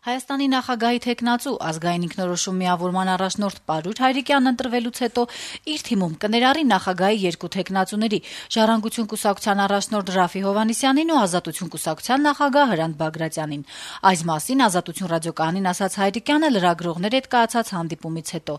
Հայաստանի նախագահի թեկնածու ազգային ինքնորոշում միավորման առաջնորդ Պարույր Հայրիկյանն ընտրվելուց հետո իր թիմում կներառի նախագահի երկու թեկնածուների՝ Ժառանգություն կուսակցության առաջնորդ Րաֆֆի Հովհաննիսյանին ու Ազատություն կուսակցության նախագահ Հրանտ Բագրատյանին։ Այս մասին Ազատություն ռադիոկայանին ասաց Հայրիկյանը լրագրողների հետ կայացած հանդիպումից հետո։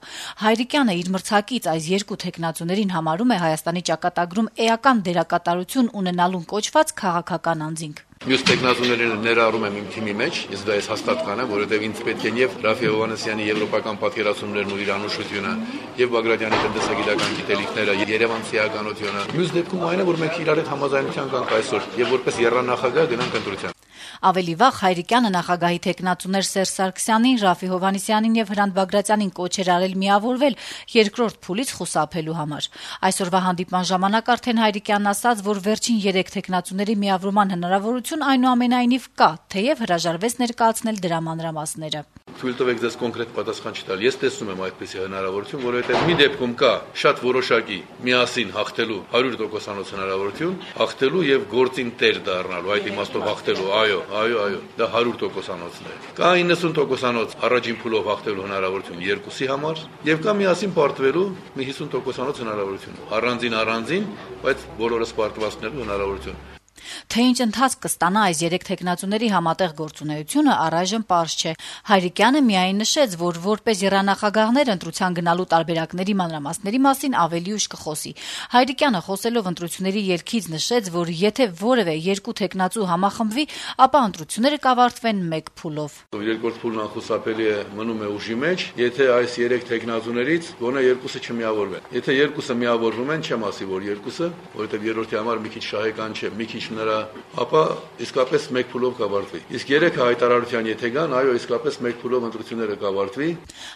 Հայրիկյանը իր մրցակից այս երկու թեկնածուներին համարում է Հայաստանի ճակատագրում էական դերակատարություն ունենալուն կոչված քաղաքական անձինք։ Մյուս տեխնազուներին ներառում եմ իմ թիմի մեջ, ես դա հաստատ կանեմ, որովհետև ինձ պետք են եւ Րաֆֆի Հովհաննիսյանի եվրոպական պատկերացումներն ու իր անուշությունը, եւ Բագրատյանի տնտեսագիտական գիտելիքները, Երևանցի ականությունը։ Մյուս դեպքում այն է, որ մենք իրար հետ համաձայնության կանք այսօր եւ որպես երանախագահ գնանք ընտրության։ Ավելի վաղ Հայրիկյանը նախագահի թեկնածուներ Սերժ Սարգսյանին, Րաֆֆի Հովհաննիսյանին եւ Հրանտ Բագրատյանին կոչ էր արել միավորվել երկրորդ փուլից խուսափելու համար։ Այսօրվա հանդիպման ժամանակ արդեն Հայրիկյանն ասաց, որ վերջին 3 թեկնածուների միավորման հնարավորություն այնուամենայնիվ կա, թեև հրաժարվեց ներկայացնել դրա մանրամասները։ Թույլ տվեք ձեզ կոնկրետ պատասխան չտալ։ Ես տեսնում եմ այդպիսի հնարավորություն, որովհետև մի դեպքում կա շատ որոշակի միասին հաղթելու 100% հնարավորություն, հաղթելու եւ գործին տեր դառնալու, այդ իմաստով հաղթելու, այո, դա 100%-ն է։ Կա 90% առաջին փուլով հաղթելու հնարավորություն երկուսի համար եւ կա միասին պարտվելու մի 50% հնարավորություն։ Առանձին, բայց բոլորս պարտվածնելու հնարավորություն։ Թե ինչ ընթացք կստանա այս 3 թեկնածուների համատեղ գործունեությունը առայժմ պարզ չէ։ Հայրիկյանը միայն նշեց, որ որպես երանախագահներ ընտրության գնալու տարբերակների մանրամասների մասին ավելի ուշ կխոսի։ Հայրիկյանը խոսելով ընտրությունների ելքից նշեց, որ եթե որևէ 2 թեկնածու համախմբվի, ապա ընտրությունները կավարտվեն 1 փուլով։ Երկրորդ փուլն անխուսափելի է, մնում է ուժի մեջ, եթե այս 3 թեկնածուներից գոնե 2-ը չմիավորվեն։ Եթե 2-ը միավորվում են, չեմ ասի, որ 2-ը, որովհետև երրորդի համար մի քիչ շահեկան չէ, մի քիչ ապա իսկապես 1 փուլով կավարտվի։ Իսկ 3 հայտարարության եթե գան, այո, իսկապես 1 փուլով ընտրությունները կավարտվի։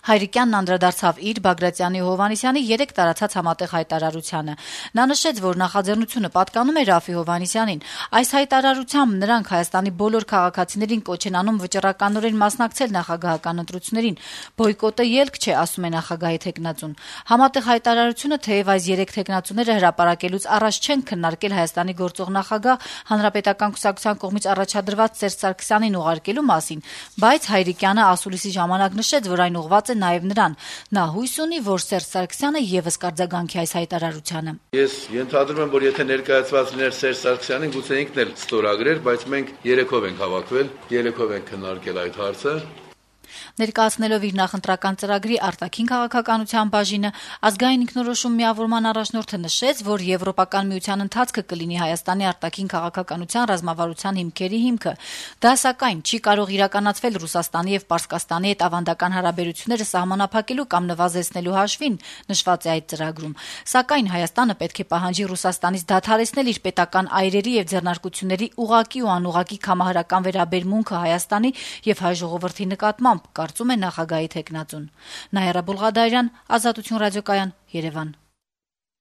Հայրիկյանն անդրադարձավ իր Բագրատյանի ու Հովհաննիսյանի 3 տարածած համատեղ հայտարարությանը։ Նա նշեց, որ նախաձեռնությունը պատկանում է Րաֆֆի Հովհաննիսյանին։ Այս հայտարարությամբ նրանք Հայաստանի բոլոր քաղաքացիներին կոչ են անում վճռականորեն մասնակցել նախագահական ընտրություններին։ Բոյկոտը ելք չէ, ասում է նախագահի թեկնածուն։ Համատեղ հայտարարությունը, թեև այս 3 թեկնածուները հրապարակելուց առաջ չեն քննարկել Հայաստանի գործող նախագահ Հանրապետական կուսակցության կողմից առաջադրված Սերժ Սարգսյանին ուղարկելու մասին, բայց Հայրիկյանը ասուլիսի ժամանակ նշեց, որ այն ուղղված է նաև նրան։ Նա հույս ունի, որ Սերժ Սարգսյանը եւս կարձագանքի այս հայտարարությանը։ Ես ենթադրում եմ, որ եթե ներկայացված լիներ Սերժ Սարգսյանին, գուցե ինքն էլ ստորագրեր, բայց մենք 3-ով ենք հավաքվել, 3-ով ենք քննարկել այդ հարցը։ Ներկայացնելով իր նախընտրական ծրագրի արտաքին քաղաքականության բաժինը, ազգային ինքնորոշում միավորման առաջնորդը նշեց, որ Եվրոպական միության ընթացքը կլինի Հայաստանի արտաքին քաղաքականության ռազմավարության հիմքերի հիմքը։ Դա սակայն չի կարող իրականացվել Ռուսաստանի եւ Պարսկաստանի հետ ավանդական հարաբերությունները սահմանափակելու կամ նվազեցնելու հաշվին, նշված է այդ ծրագրում։ Սակայն Հայաստանը պետք է պահանջի Ռուսաստանից դադարեցնել իր պետական այրերի եւ ձեռնարկությունների ուղղակի ու անուղղակի կամահարական վերաբերմունքը Հայաստանի եւ հայ ժողովրդի նկատմամբ, կարծում է նախագահի թեկնածուն։ Նաիրա Բուլղադարյան, Ազատություն ռադիոկայան, Երևան։